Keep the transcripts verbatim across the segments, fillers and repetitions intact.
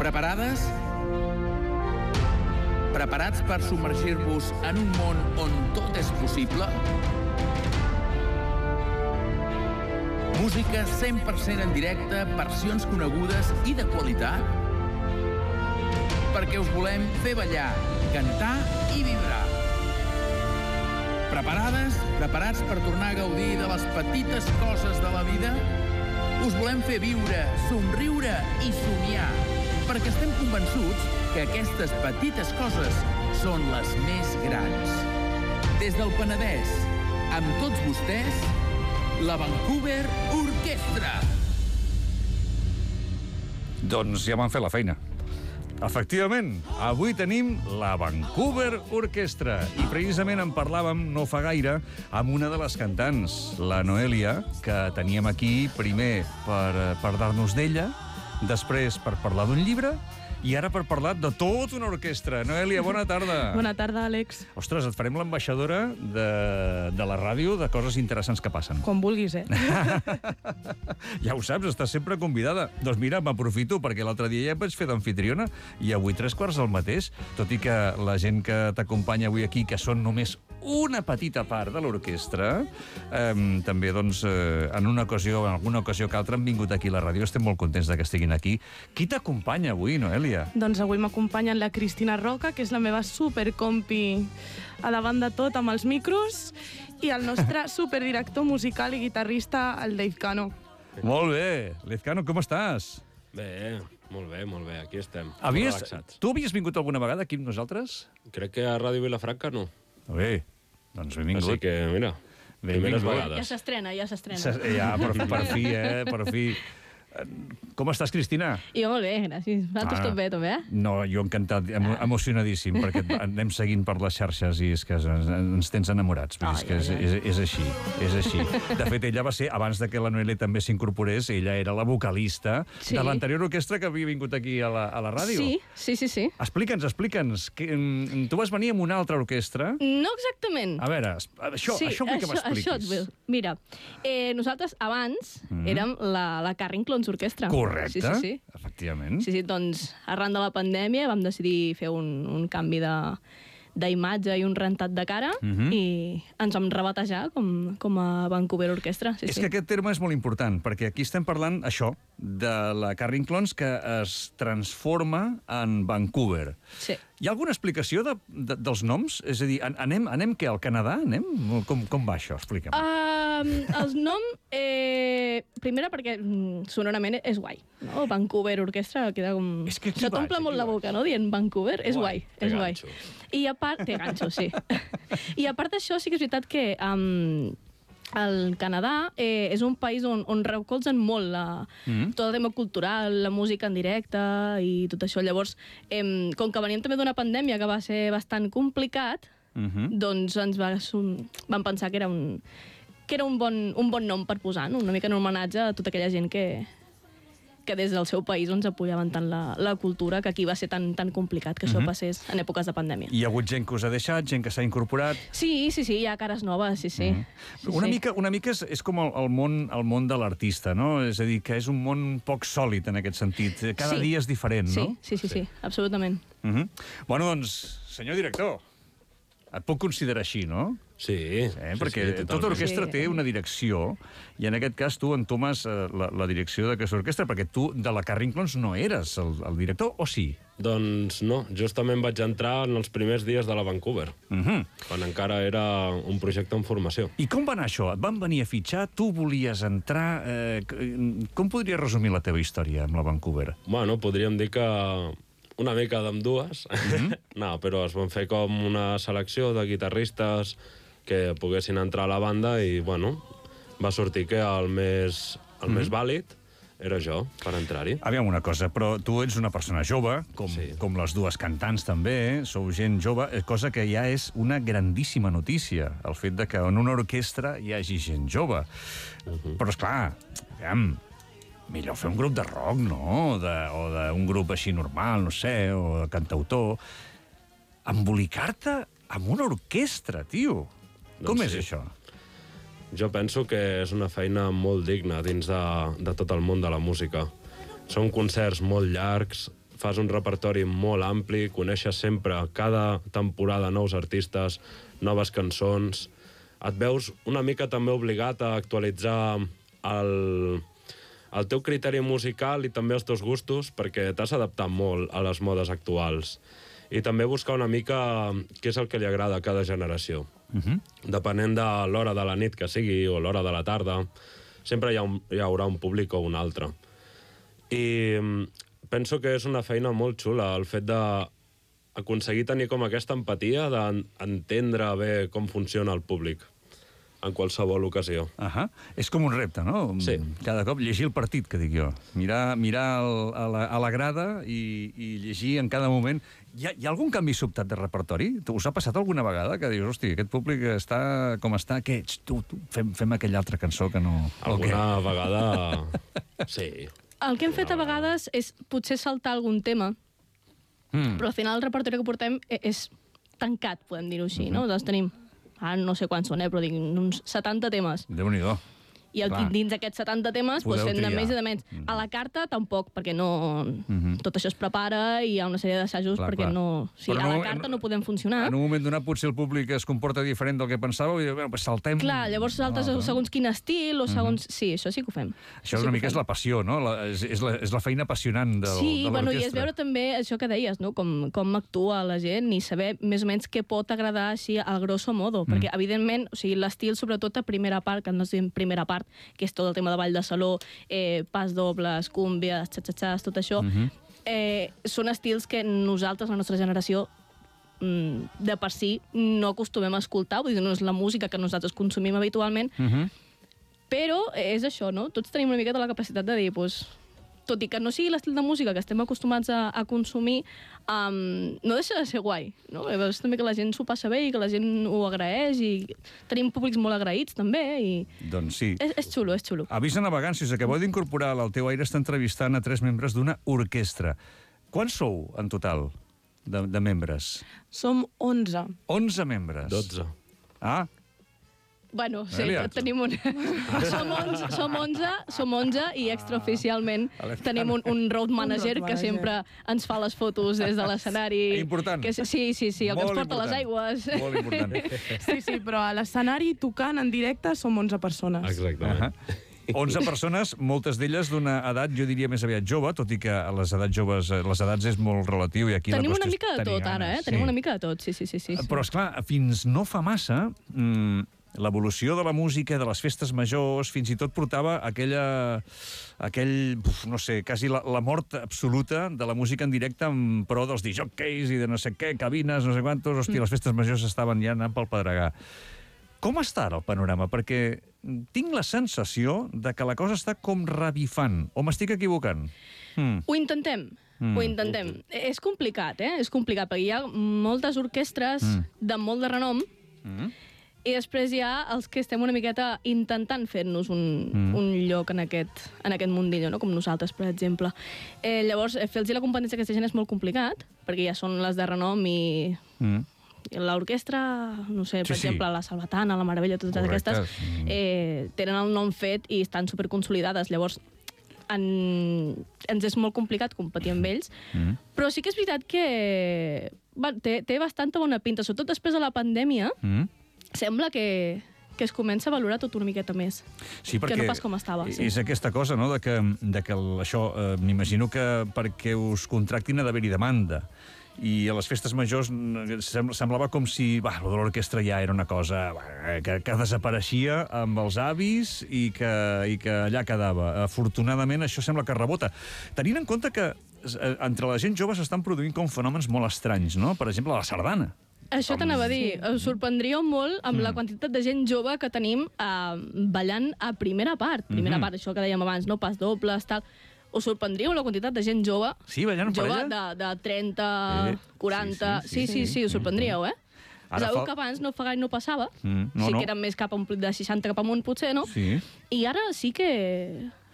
Preparades? Preparats per submergir-vos en un món on tot és possible? Música cent per cent en directe, versions conegudes i de qualitat? Perquè us volem fer ballar, cantar i vibrar. Preparades? Preparats per tornar a gaudir de les petites coses de la vida? Us volem fer viure, somriure i somiar, perquè estem convençuts que aquestes petites coses són les més grans. Des del Penedès, amb tots vostès, la Vancouver Orquestra. Doncs ja m'han fet la feina. Efectivament, avui tenim la Vancouver Orquestra i precisament en parlàvem no fa gaire amb una de les cantants, la Noelia, que teníem aquí primer per parlar-nos d'ella, després per parlar d'un llibre i ara per parlar de tota una orquestra. Noelia, bona tarda. Bona tarda, Àlex. Ostres, et farem l'ambaixadora de, de la ràdio de coses interessants que passen. Com vulguis, eh? Ja ho saps, estàs sempre convidada. Doncs mira, m'aprofito, perquè l'altre dia ja et vaig fer d'anfitriona i avui tres quarts del mateix, tot i que la gent que t'acompanya avui aquí, que són només una petita part de l'orquestra, eh, també, doncs, eh, en una ocasió, en alguna ocasió que altra han vingut aquí a la ràdio, estem molt contents de que estiguin aquí. Qui t'acompanya avui, Noelia? Doncs avui m'acompanyen la Cristina Roca, que és la meva supercompi a davant de tot amb els micros, i el nostre superdirector musical i guitarrista, el Dave Cano. Molt bé. Lezcano, com estàs? Bé, molt bé, molt bé. Aquí estem. Havies, relaxats. tu havies vingut alguna vegada aquí amb nosaltres? Crec que a Ràdio Vilafranca no. Bé, doncs benvingut. Així que, mira, primeres vegades. Ja s'estrena, ja s'estrena. Ja, per, per fi, eh? Per fi. Com estàs, Cristina? Jo molt bé, gràcies. Vosaltres Ah. tot bé, tot bé? No, jo encantat, emo emocionadíssim, perquè et anem seguint per les xarxes i és que ens, ens tens enamorats. Vull dir, és que és, és, és així, és així. De fet, ella va ser, abans de que la Noelia també s'incorporés, ella era la vocalista Sí. de l'anterior orquestra que havia vingut aquí a la, a la ràdio. Sí, sí, sí, sí. Explica'ns, explica'ns. Que, mm, tu vas venir amb una altra orquestra? No exactament. A veure, es- això, sí, això vull que això, m'expliquis. això et vull. Mira, eh, nosaltres abans Mhm. érem la, la Carring Clones Orquestra. Correcte, Sí, sí, sí. efectivament. Sí, sí, doncs arran de la pandèmia vam decidir fer un, un canvi de d'imatge i un rentat de cara Mhm. i ens vam rebatejar com, com a Vancouver Orquestra. Sí, És sí. que aquest terme és molt important, perquè aquí estem parlant, això, de la Carring Clones que es transforma en Vancouver. Sí. Hi ha alguna explicació de, de, dels noms? És a dir, an- anem, anem què, al Canadà? Anem? Com, com va això? Explica'm. Um, el nom, eh, primera perquè mm, sonorament és guai, no? Vancouver Orquestra queda com... És que aquí se t'omple vaig, molt aquí la vaig. boca, no?, dient Vancouver. És Guai, guai, té és guai. ganxo. I a part... Té ganxo, sí. I a part d'això, sí que és veritat que... Um, el Canadà eh, és un país on, on recolzen molt la, Mm. tot el tema cultural, la música en directe i tot això. Llavors, eh, com que veníem també d'una pandèmia que va ser bastant complicat, Mhm. doncs ens va, som- vam pensar que era un, que era un bon, un bon nom per posar, no? Una mica en homenatge a tota aquella gent que, que des del seu país ens apoyaven tant la, la cultura, que aquí va ser tan, tan complicat que això Mhm. passés en èpoques de pandèmia. Hi ha hagut gent que us ha deixat, gent que s'ha incorporat... Sí, sí, sí, hi ha cares noves, sí, sí. Mhm. sí, Una, sí. mica, una mica és, és com el, el, món, el món de l'artista, no? És a dir, que és un món poc sòlid en aquest sentit. Cada Sí. dia és diferent, Sí, no? sí, sí, sí, absolutament. Mhm. Bueno, doncs, senyor director, et puc considerar així, no? Sí, Eh? sí, Perquè sí, tota totalment. orquestra Sí. té una direcció, i en aquest cas tu entomes eh, la, la direcció d'aquesta orquestra, perquè tu de la Carring Clones no eres el, el director, o sí? Doncs no, justament vaig entrar en els primers dies de la Vancouver, Mhm. quan encara era un projecte en formació. I com va anar això? Et van venir a fitxar, tu volies entrar... Eh, c- com podries resumir la teva història amb la Vancouver? Bueno, podríem dir que una mica d'ambdues. Mm-hmm. No, però es van fer com una selecció de guitarristes que poguessin entrar a la banda i, bueno, va sortir que el més, el mm-hmm. més vàlid era jo, per entrar-hi. Aviam una cosa, però tu ets una persona jove, com, Sí. com les dues cantants també, eh? Sou gent jove, eh, cosa que ja és una grandíssima notícia, el fet de que en una orquestra hi hagi gent jove. Uh-huh. Però, esclar, aviam, millor fer un grup de rock, no? De, o d'un grup així normal, no sé, o de cantautor. Embolicar-te amb una orquestra, tio. Com Doncs és sí. això? Jo penso que és una feina molt digna dins de, de tot el món de la música. Són concerts molt llargs, fas un repertori molt ampli, coneixes sempre cada temporada nous artistes, noves cançons. Et veus una mica també obligat a actualitzar el, el teu criteri musical i també els teus gustos, perquè t'has adaptat molt a les modes actuals. I també buscar una mica què és el que li agrada a cada generació. Uh-huh. Depenent de l'hora de la nit que sigui o l'hora de la tarda, sempre hi, ha un, hi haurà un públic o un altre. I penso que és una feina molt xula, el fet d'aconseguir tenir com aquesta empatia, d'entendre bé com funciona el públic en qualsevol ocasió. Uh-huh. És com un repte, no? Sí. Cada cop llegir el partit, que dic jo. Mirar, mirar el, a, la, a la grada i, i llegir en cada moment. Hi ha, hi ha algun canvi sobtat de repertori? Us ha passat alguna vegada que dius, hosti, aquest públic està com està, què ets? Tu, tu, fem, fem aquella altra cançó que no... Alguna vegada... Sí. El que hem fet a vegades és potser saltar algun tema, mm. però al final el repertori que portem és tancat, podem dir-ho així, mm-hmm. no? Doncs tenim, ara no sé quants són, eh, però dic, uns setanta temes. Déu-n'hi-do. I el, dins d'aquests setanta temes doncs, fem de més i de menys. Mm. A la carta tampoc, perquè no... Mm-hmm. Tot això es prepara i hi ha una sèrie d'assajos perquè clar. no... O sigui, a la carta no, no podem funcionar. En un moment donat potser el públic es comporta diferent del que pensàveu i bueno, pues saltem... Clar, llavors saltes no, no. segons quin estil o segons... Mm-hmm. Sí, això sí que ho fem. Això sí una mica és la passió, no? La, és, és, la, és la feina apassionant de, sí, de l'orquestra. Sí, bueno, i és veure també això que deies, no? Com, com actua la gent i saber més o menys què pot agradar així al grosso modo, mm. perquè evidentment, o sigui, l'estil sobretot a primera part, que no es diu primera part, que és tot el tema de ball de saló, eh, pas dobles, cúmbies, xatxatxas, tot això, uh-huh. eh, són estils que nosaltres, la nostra generació, mm, de per si, no acostumem a escoltar, vull dir, no és la música que nosaltres consumim habitualment, uh-huh. però és això, no? Tots tenim una miqueta la capacitat de dir, doncs, tot i que no sigui l'estil de música que estem acostumats a, a consumir, um, no deixa de ser guai, no? És també que la gent s'ho passa bé i que la gent ho agraeix i tenim públics molt agraïts també i... Doncs sí. És, és xulo, és xulo. Avís a navegants, si us acabeu d'incorporar al Teu Aire, està entrevistant a tres membres d'una orquestra. Quants sou en total de, de membres? Som onze. onze membres. dotze. Ah, Bueno, sí, tenim un... som, onze, som, onze, som onze i extraoficialment tenim un, un road manager un road que sempre ens fa les fotos des de l'escenari. Important. Que, sí, sí, sí, el Molt que ens porta important. les aigües. Molt important. Sí, sí, però a l'escenari tocant en directe som onze persones. Exactament. Uh-huh. onze persones, moltes d'elles d'una edat, jo diria més aviat jove, tot i que a les edats joves, les edats és molt relatiu i aquí Tenim la una qüestió mica de tot, ara, eh? Sí. Tenim una mica de tot, sí, sí, sí. sí. Però, esclar, fins no fa massa... Mmm, l'evolució de la música, de les festes majors, fins i tot portava aquella, aquell, uf, no sé, quasi la, la mort absoluta de la música en directe en pro dels disjòqueis i de no sé què, cabines, no sé quantos... Hòstia, les festes majors estaven ja anant pel pedregar. Com està ara el panorama? Perquè tinc la sensació de que la cosa està com revifant. O m'estic equivocant? Hmm. Ho intentem. Mm. Ho intentem. És complicat, eh? És complicat, perquè hi ha moltes orquestres mm. de molt de renom mm. i després hi ha els que estem una miqueta intentant fer-nos un, mm. un lloc en aquest, en aquest mundillo, no? Com nosaltres, per exemple. Eh, llavors, fer-los la competència a aquesta gent és molt complicat, perquè ja són les de renom i... Mm. L'orquestra, no sé, per sí, exemple, sí. la Salvatana, la Meravella, totes Correcte. Aquestes, eh, tenen el nom fet i estan superconsolidades. Llavors, en... ens és molt complicat competir amb ells, mm. però sí que és veritat que va, té, té bastanta bona pinta, sobretot després de la pandèmia, mm. sembla que, que es comença a valorar tot una miqueta més, sí, que no pas com estava. Sí. És aquesta cosa, no?, de que, de que el, això, eh, m'imagino que perquè us contractin ha d'haver-hi demanda. I a les festes majors semblava com si bah, l'orquestra ja era una cosa bah, que, que desapareixia amb els avis i que, i que allà quedava. Afortunadament, això sembla que rebota. Tenint en compte que entre la gent jove s'estan produint com fenòmens molt estranys, no? Per exemple, la sardana. Això t'anava a dir. Us sorprendríeu molt amb mm. la quantitat de gent jove que tenim eh, ballant a primera part. Primera mm-hmm. part, això que dèiem abans, no? Pas dobles, tal... Us sorprendríeu la quantitat de gent jove, sí, ballant jove de, de trenta, eh, quaranta... Sí, sí, sí, sí, sí, sí, us sorprendríeu, eh? Ara fa... que abans no fa gaire no passava. Mm, no, sí que eren més cap a un de seixanta cap amunt, potser, no? Sí. I ara sí que...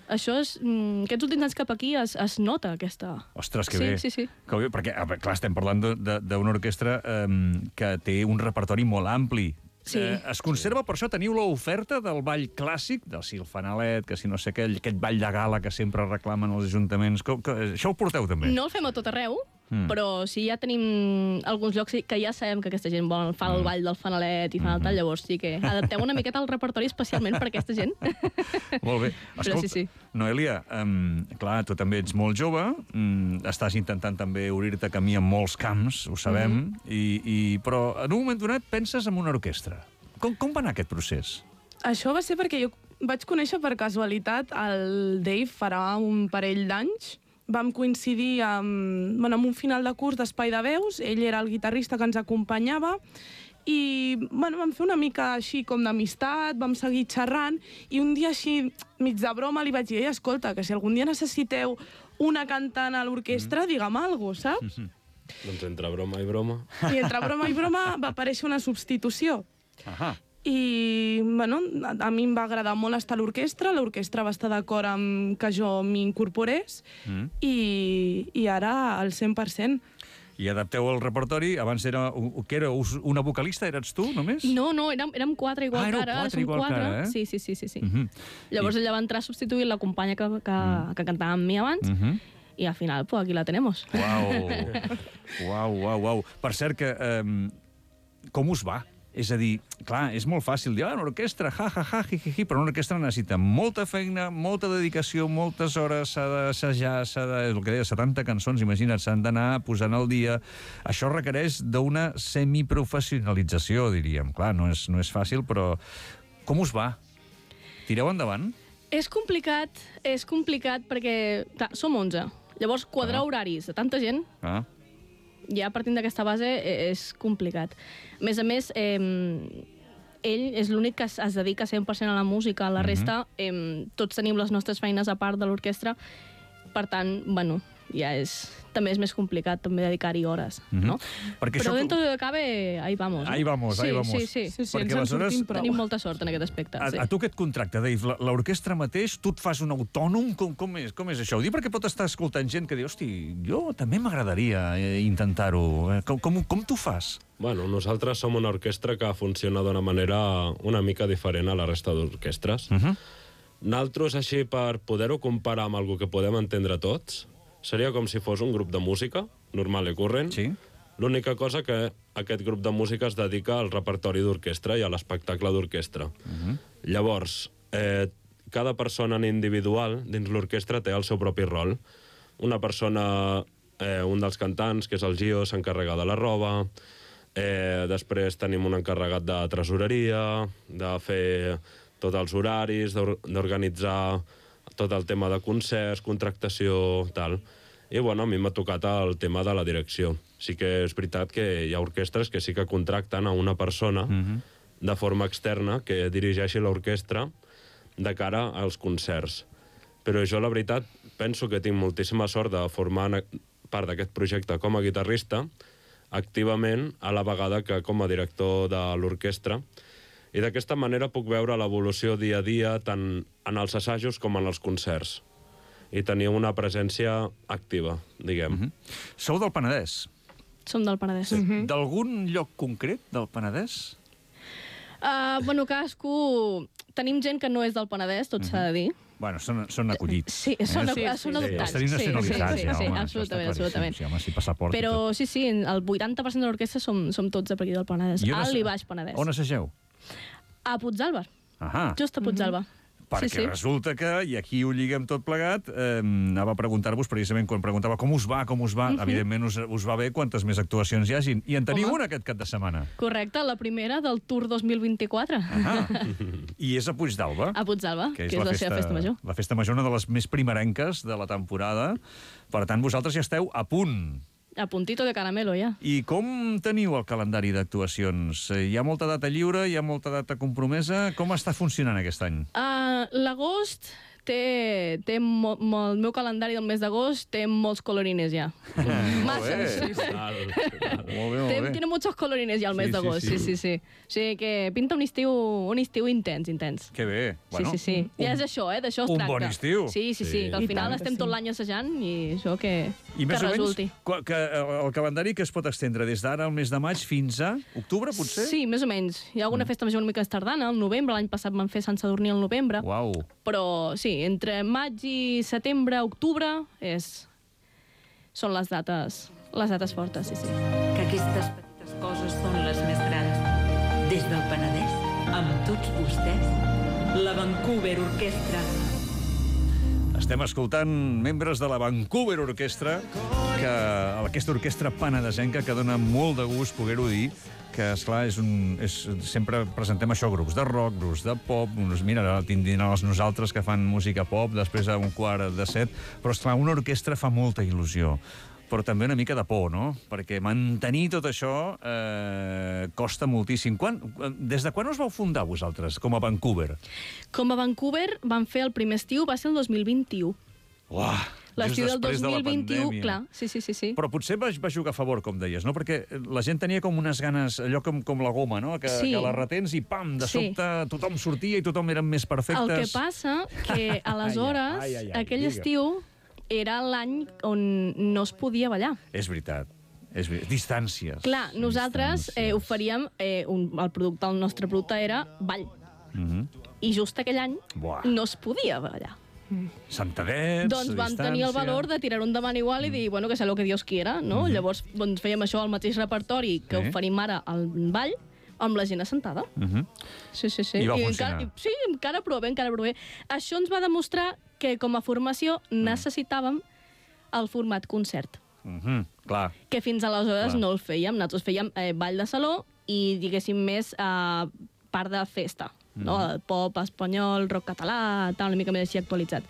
Això és... Aquests últims anys cap aquí es, es nota, aquesta... Ostres, que sí, bé. Sí, sí, que bé. Perquè, clar, estem parlant d'una orquestra eh, que té un repertori molt ampli. Sí. Eh, es conserva, per això teniu l'oferta del ball clàssic, del si el fanalet, que si no sé què, aquest ball de gala que sempre reclamen els ajuntaments. Com, que, això ho porteu també? No el fem a tot arreu, Mm. però sí, ja tenim alguns llocs que ja sabem que aquesta gent vol, fa el Mm. ball del fanalet i fa el tal, llavors sí que adapteu una miqueta el repertori especialment per aquesta gent. Molt bé. Però sí, sí. Noelia, um, clar, tu també ets molt jove, um, estàs intentant també obrir-te camí en molts camps, ho sabem, Mm-hmm. i, i, però en un moment donat penses en una orquestra. Com, com va anar aquest procés? Això va ser perquè jo vaig conèixer per casualitat el Dave farà un parell d'anys. Vam coincidir amb, bueno, amb un final de curs d'Espai de Veus, ell era el guitarrista que ens acompanyava, i bueno, vam fer una mica així com d'amistat, vam seguir xerrant, i un dia així, mig de broma, li vaig dir, ei, escolta, que si algun dia necessiteu una cantant a l'orquestra, digue'm alguna cosa, saps? Doncs entre broma i broma... I entre broma i broma va aparèixer una substitució. Ahà. I, bueno, a, a mi em va agradar molt estar a l'orquestra, l'orquestra va estar d'acord amb que jo m'incorporés, Mm. i, i ara al cent per cent. I adapteu el repertori, abans era, que era una vocalista, eres tu, només? No, no, érem, érem quatre igual Ah, éreu que ara. quatre som igual que quatre. ara, eh? Sí, sí, sí, sí. sí. Mhm. Llavors I- ella va entrar a substituir la companya que, que, mm. que cantava amb mi abans, Mhm. i al final, pues, aquí la tenemos. Uau, uau, uau, uau. Per cert, que, um, com us va? És a dir, clar, és molt fàcil dir, ah, una orquestra, ja, ja, ja, ji, ji, ji, però una orquestra necessita molta feina, molta dedicació, moltes hores, s'ha d'assajar, s'ha de... És el que deia, setanta cançons, imagina't, s'han d'anar posant al dia. Això requereix d'una semiprofessionalització, diríem. Clar, no és, no és fàcil, però com us va? Tireu endavant? És complicat, és complicat perquè, clar, som onze. Llavors, quadrar Ah. horaris de tanta gent, Ah. ja partint d'aquesta base, eh, és complicat. A més a més, eh, ell és l'únic que es, es dedica cent per cent a la música, la resta, eh, tots tenim les nostres feines a part de l'orquestra, per tant, bueno, ja és... també és més complicat també dedicar-hi hores, Mhm. no? Perquè Però això- dentro de cabe, ahí vamos. Ahí vamos, sí, ahí vamos. Sí, sí, Sí, sí, Perquè ens en aleshores- sortim prou. Tenim molta sort en aquest aspecte. A, sí. a tu què et contracta, Dave? La- L'orquestra mateix, tu et fas un autònom? Com, com, és, com és això? Ho dic perquè pot estar escoltant gent que diu, hosti, jo també m'agradaria eh, intentar-ho. Eh, Com, com, com t'ho fas? Bueno, nosaltres som una orquestra que funciona d'una manera una mica diferent a la resta d'orquestres. Uh -huh. Naltros, així, per poder-ho comparar amb algo que podem entendre tots, seria com si fos un grup de música, normal i corrent. Sí. L'única cosa que aquest grup de música es dedica al repertori d'orquestra i a l'espectacle d'orquestra. Uh-huh. Llavors, eh, cada persona en individual dins l'orquestra té el seu propi rol. Una persona, eh, un dels cantants, que és el Gio, s'encarrega de la roba. Eh, després tenim un encarregat de tresoreria, de fer tots els horaris, d'or- d'organitzar tot el tema de concerts, contractació, tal. I, bueno, a mi m'ha tocat el tema de la direcció. Sí que és veritat que hi ha orquestres que sí que contracten a una persona Mhm. de forma externa que dirigeixi l'orquestra de cara als concerts. Però jo, la veritat, penso que tinc moltíssima sort de formar part d'aquest projecte com a guitarrista, activament, a la vegada que com a director de l'orquestra, i d'aquesta manera puc veure l'evolució dia a dia tant en els assajos com en els concerts. I tenir una presència activa, diguem. Mhm. Sou del Penedès. Som del Penedès. Sí. D'algun lloc concret del Penedès? Uh, bueno, cadascú... Tenim gent que no és del Penedès, tot s'ha de dir. Bueno, són, són acollits. Sí, són, Sí, sí, sí, són sí. adoptats. Els tenim sí, nacionalitzats, sí, sí, ja, sí, home. això està absolutament, claríssim. absolutament. Sí, home, sí, passaport i Però tot. sí, sí, el vuitanta per cent de l'orquestra som, som tots de per aquí del Penedès. I on Alt asse- i baix Penedès. On assageu? A Puigdàlber, Ahà. just a Puigdàlber. Perquè sí, sí. resulta que, i aquí ho lliguem tot plegat, eh, anava a preguntar-vos precisament quan preguntava com us va, com us va, evidentment us, us va bé quantes més actuacions hi hagin. I en teniu Home. una aquest cap de setmana. Correcte, la primera del Tour dos mil vint-i-quatre. Ah. I és a Puigdàlber. A Puigdàlber, que és, la la seva festa major. La festa major, una de les més primerenques de la temporada. Per tant, vosaltres ja esteu a punt. A puntito de caramelo, ja. I com teniu el calendari d'actuacions? Eh, Hi ha molta data lliure, hi ha molta data compromesa? Com està funcionant aquest any? Uh, L'agost té, té mo, mo, el meu calendari del mes d'agost té molts colorines ja. Massa. bé. Sí, sí. Molt bé, molt Té, bé. tiene muchos colorines ja al mes Sí, sí, d'agost, sí. sí, sí, sí. O sigui que pinta un estiu, un estiu intens, intens. Que bé. Bueno, sí, sí, sí. un- Ja és això, eh? D'això es un tracta. bon estiu. Sí, sí, sí. Sí. Que al I final tant que estem sí. tot l'any assajant i això que, I que més o menys, resulti. qua- que el calendari que es pot extendre des d'ara al mes de maig fins a octubre, potser? Sí, més o menys. Hi ha alguna Mm. festa major una mica tardana, al novembre. L'any passat van fer Sant Sadurní al novembre. Uau. Però sí, entre maig i setembre, octubre, és... són les dates, les dates fortes, sí, sí. Que aquestes petites coses són les més grans. Des del Penedès, amb tots vostès, la Vancouver Orquestra. Estem escoltant membres de la Vancouver Orquestra, que aquesta orquestra penedesenca que dona molt de gust poder-ho dir, que, esclar, és un, és, sempre presentem això, grups de rock, grups de pop, uns, mira, ara tindran els nosaltres que fan música pop, després a un quart de set, però, esclar, una orquestra fa molta il·lusió, però també una mica de por, no? Perquè mantenir tot això eh, costa moltíssim. Quan, des de quan us vau fundar vosaltres, com a Vancouver? Com a Vancouver van fer el primer estiu, va ser el dos mil vint-i-u. Uah, L'estiu just del després dos de la mil vint-i-u, pandèmia. clar, sí, sí, sí, sí. Però potser va, va jugar a favor, com deies, no? Perquè la gent tenia com unes ganes, allò com, com la goma, no? Que, Sí. que la retens i pam, de Sí. sobte tothom sortia i tothom eren més perfectes. El que passa que aleshores, Ai, ai, ai, aquell digue. estiu, era l'any on no es podia ballar. És veritat. És veritat. Distàncies. Clar, nosaltres eh, Distàncies. oferíem... Eh, un, el producte, el nostre producte era ball. Mhm. I just aquell any Buah. no es podia ballar. Santadets, Doncs vam tenir el distància. valor de tirar-ho endavant igual i dir, bueno, que sea lo que Dios quiera, no? Llavors doncs, fèiem això al mateix repertori que Sí. oferim ara al ball, amb la gent assentada. Mhm. Sí, sí, sí. I va encara, funcionar. i, sí, encara prou bé, encara prou bé. Això ens va demostrar que com a formació necessitàvem el format concert, Mhm. Clar. que fins aleshores Clar. no el fèiem. Nosaltres fèiem eh, ball de saló i, diguéssim, més eh, part de festa, no? El pop espanyol, rock català, tal, una mica més així actualitzat.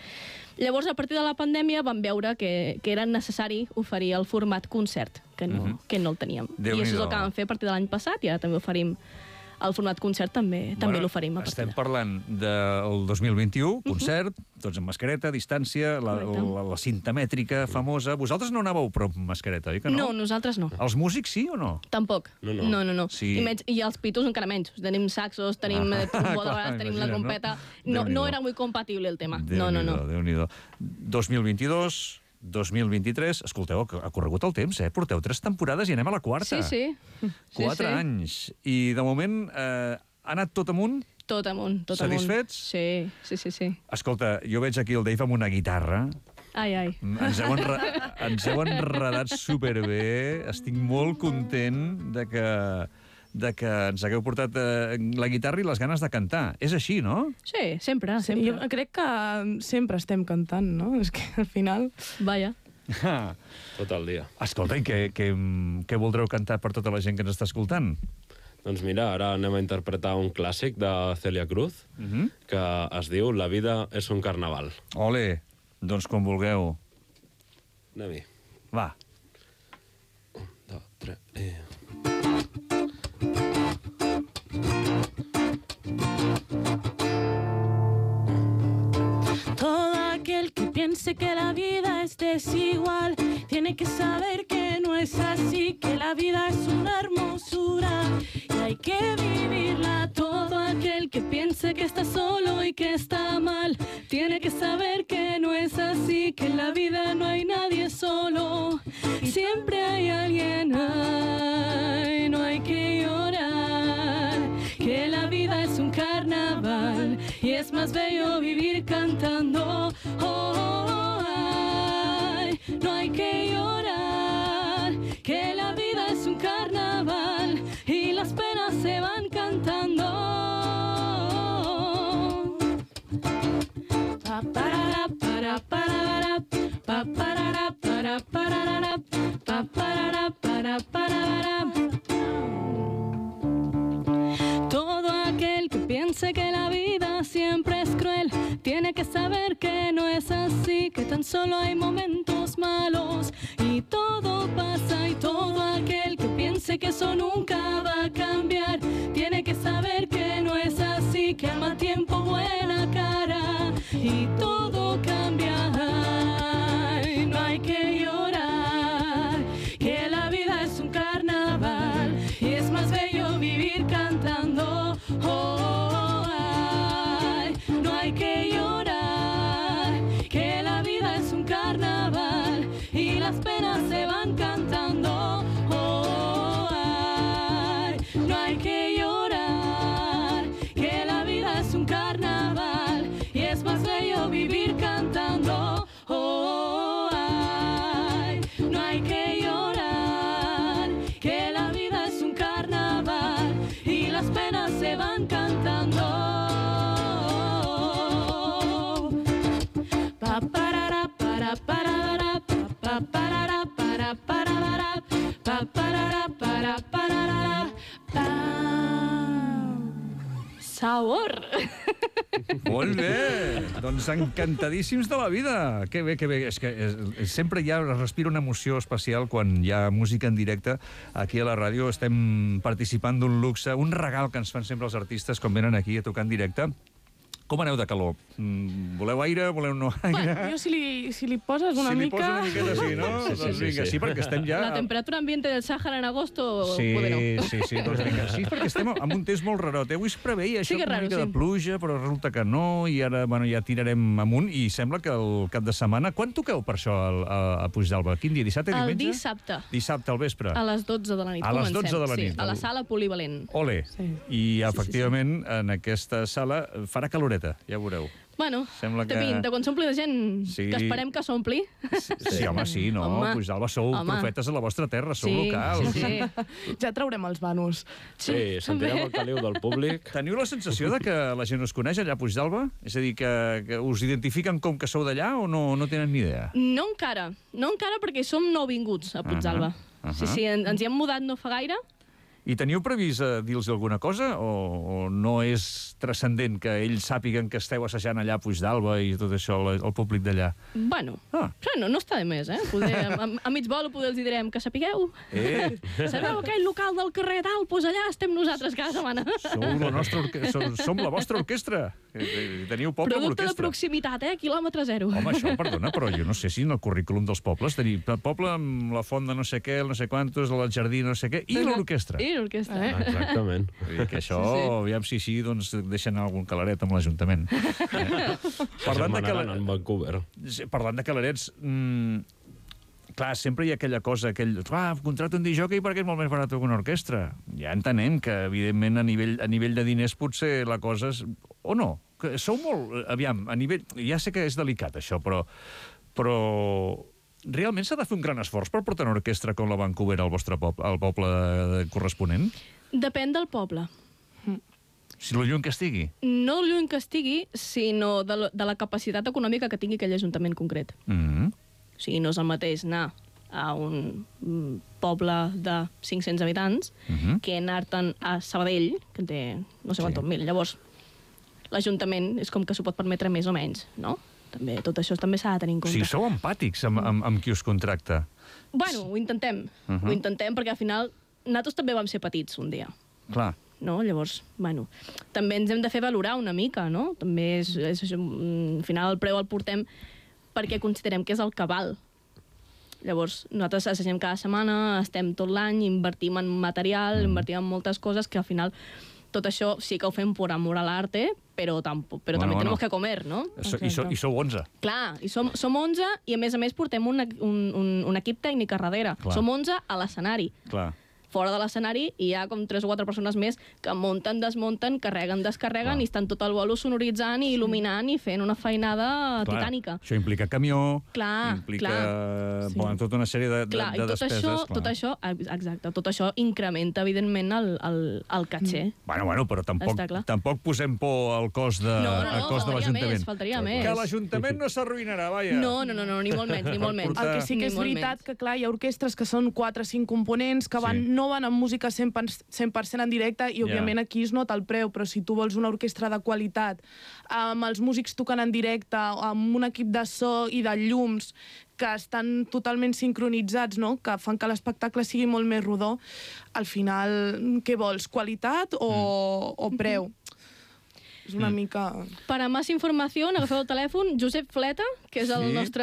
Llavors, a partir de la pandèmia, vam veure que, que era necessari oferir el format concert, que no, que no el teníem. I això és Déu-n'hi-do. el que vam fer a partir de l'any passat, i ara també oferim el format concert, també, també l'oferim a partir Estem de... parlant del dos mil vint-i-u, concert, tots amb mascareta, distància, la, Correcte. la, la cinta mètrica famosa. Vosaltres no anàveu prou amb mascareta, oi que no? No, nosaltres no. Els músics sí o no? Tampoc. No, no. no, no, no. Sí. I, menys, I els pitos encara menys. Tenim saxos, tenim Ah, eh, trombó, de clar, vegades tenim la imagina't, no? trompeta. No, Déu-n'hi-do. no era muy compatible el tema. No, no, no. Déu-n'hi-do. dos mil vint-i-dos, dos mil vint-i-tres... Escolteu, ha corregut el temps, eh? Porteu tres temporades i anem a la quarta. Sí, sí. Quatre sí, sí. anys. I, de moment, eh, ha anat tot amunt? Tot amunt, tot amunt. Satisfets? Sí, sí, sí, sí. Escolta, jo veig aquí el Dave amb una guitarra. Ai, ai. Ens heu, enre... ens heu enredat superbé. Estic molt content de que, de que ens hagueu portat eh, la guitarra i les ganes de cantar. És així, no? Sí, sempre, Sí, sempre. jo crec que sempre estem cantant, no? És que al final... Vaja. Ah. Tot el dia. Escolta, i què, què, què voldreu cantar per tota la gent que ens està escoltant? Doncs mira, ara anem a interpretar un clàssic de Celia Cruz, Uh -huh. que es diu La vida és un carnaval. Ole, doncs com vulgueu. Anem-hi. Va. Un, dos, tres, i... Todo aquel que piense que la vida es desigual tiene que saber que no es así, que la vida es una hermosura y hay que vivirla. Todo aquel que piense que está solo y que está mal tiene que saber que no es así, que en la vida no hay nadie solo y siempre hay alguien. Ay, no hay que llorar, que la vida es un carnaval y es más bello vivir cantando. Oh, oh, oh, ay, no hay que llorar, que la vida es un carnaval y las penas se van cantando. Pa, parara, para, parara, pa, parara, para, parara, pa, parara, para, parara. Todo aquel que piense que la vida siempre es cruel tiene que saber que no es así, que tan solo hay momentos malos y todo pasa. Y todo aquel que piense que eso nunca va a cambiar tiene que saber que no es así, que al mal tiempo buena cara y todo que van cantando. Pa parara para parara pa parara para parara pa parara para parara pa. Sabor. Molt bé! Doncs encantadíssims de la vida. Que bé, que bé. És que és, sempre hi ha, es respira una emoció especial quan hi ha música en directe. Aquí a la ràdio estem participant d'un luxe, un regal que ens fan sempre els artistes quan venen aquí a tocar en directe. Com aneu de calor? Mm, voleu aire? Voleu no aire? Bueno, jo si li, si li poses una si mica... Si li poses una miqueta, sí, no? Sí, sí, doncs sí, vinga, sí. sí, perquè estem ja... La temperatura ambiente del Sàhara en agosto, Sí, poder no. sí, sí, doncs vinga. Sí, perquè estem amb un temps molt rarot. Avui es preveia això, Sí que és una raro, mica sí. de pluja, però resulta que no, i ara bueno, ja tirarem amunt, i sembla que el cap de setmana... Quan toqueu per això al- a, a Puigdàlber? Quin dia? Dissabte, El diumenge? dissabte, Dissabte al vespre. a les dotze de la nit, A les comencem. dotze de la nit. Sí, a la sala polivalent. Ole. Sí. I, efectivament, en aquesta sala farà caloreta, ja veureu. Bueno, Sembla que- depèn de quan s'ompli de gent, Sí. que esperem que s'ompli. Sí, sí home, sí, no? Home. Puigdàlber sou Home. profetes a la vostra terra, sou locals. Sí, sí. Ja traurem els vanos. Sí, sentirem el caliu del públic. Teniu la sensació de que la gent us coneix allà a Puigdàlber? És a dir, que, que us identifiquen com que sou d'allà o no, no tenen ni idea? No encara, no encara perquè som nouvinguts a Puigdàlber. Ahà, ahà. Sí, sí, en- ens hi hem mudat no fa gaire. I teniu previst eh, dir-los alguna cosa o, o no és transcendent que ells sàpiguen que esteu assajant allà a Puigdàlber i tot això, el, el públic d'allà? Bueno, Ah. no, no està de més, eh? Poder, a, a mig vol poder els hi direm que sapigueu. Eh, Sabeu aquell local del carrer tal? Doncs allà estem nosaltres cada setmana. sou la nostra orque... som, som la vostra orquestra. Eh, eh, Teniu poble amb Producte de orquestra. proximitat, eh? Quilòmetre zero. Home, això, perdona, però jo no sé si en el currículum dels pobles tenir poble amb la font de no sé què, el no sé quantos, el jardí no sé què, i l'orquestra. I l'orquestra. Eh? Exactament. Vull dir que això, Sí, sí. aviam si així, doncs deixen algun calaret amb l'Ajuntament. Eh? Parlant, de Setmanaran cala... en Vancouver. Sí, parlant de calarets, mm, clar, sempre hi ha aquella cosa, aquell... Ah, contracto un disjockey perquè és molt més barat que una orquestra. Ja entenem que, evidentment, a nivell, a nivell de diners potser la cosa és... O no? Que sou molt... Aviam, a nivell... Ja sé que és delicat, això, però... Però... Realment s'ha de fer un gran esforç per portar una orquestra com la Vancouver al vostre poble, al poble corresponent? Depèn del poble. Si lo lluny que estigui. No lluny que estigui, sinó de, la- de la capacitat econòmica que tingui aquell ajuntament concret. Mm -hmm. O sigui, no és el mateix anar a un mm, poble de cinc-cents habitants Mhm. que anar-te'n a Sabadell, que en té no sé quantos Sí. mil. Llavors, l'Ajuntament és com que s'ho pot permetre més o menys, no? També, tot això també s'ha de tenir en O compte. sigui, sou empàtics amb, amb, amb qui us contracta. Bueno, ho intentem. Uh -huh. Ho intentem perquè al final nosaltres també vam ser petits un dia. Clar. No? Llavors, bueno, també ens hem de fer valorar una mica, no? També és, és això, mm, al final el preu el portem perquè considerem que és el que val. Llavors, nosaltres assagem cada setmana, estem tot l'any, invertim en material, mm. invertim en moltes coses que al final tot això sí que ho fem per amor a l'arte, però, tampoc, però Bueno, també bueno. tenemos que comer, no? So, i, so, I sou onze. Clar, i som, som onze i a més a més portem un, un, un, un equip tècnic a darrere. Clar. Som onze a l'escenari. Clar. Fora de l'escenari hi ha com tres o quatre persones més que munten, desmunten, carreguen, descarreguen Clar. i estan tot el bolo sonoritzant i il·luminant i fent una feinada Clar. titànica. Això implica camió, Clar, implica clar. sí. bueno, tota una sèrie de, Clar, de, i de tot despeses. això, clar. tot això, exacte, tot això incrementa, evidentment, el, el, el caché. Bueno, bueno, però tampoc, Està clar. tampoc posem por al cost de, No, no, no, al cost de faltaria l'Ajuntament. més, faltaria més. Que l'Ajuntament no s'arruïnarà, vaja. No, no, no, no, ni molt menys, ni molt menys. portar- El que sí que Ni és molt veritat menys. que, clar, hi ha orquestres que són quatre o cinc components que van, Sí. no van amb música cent per cent en directe i, Ja. òbviament, aquí es nota el preu, però si tu vols una orquestra de qualitat, amb els músics tocant en directe, amb un equip de so i de llums que estan totalment sincronitzats, no? Que fan que l'espectacle sigui molt més rodó, al final, què vols, qualitat o, o preu? És una Mm. mica... Per a més informació, agafeu el telèfon, Josep Fleta, que és el Sí. nostre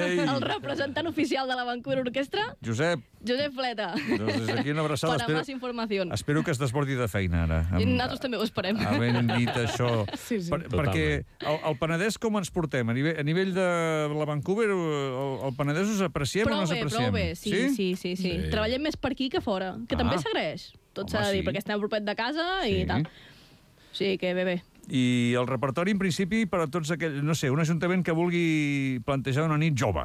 Ei. el representant oficial de la Vancouver Orquestra. Josep, Josep Fleta. doncs des d'aquí una abraçada. Per a més informació. espero que es desbordi de feina, ara. I nosaltres també ho esperem. Havent dit això... Sí, sí. Per, perquè el, el Penedès com ens portem? A nivell, a nivell de la Vancouver, el, el Penedès us apreciem o Prou no us bé, apreciem? prou bé, sí, sí, sí. sí, sí. Sí. Treballem més per aquí que fora, que Ah. també s'agraeix. Tot Home, s'ha de dir, sí. perquè estem a propet de casa i Sí. tal. Sí, que bé, bé. I el repertori, en principi, per a tots aquells... No sé, un ajuntament que vulgui plantejar una nit jove,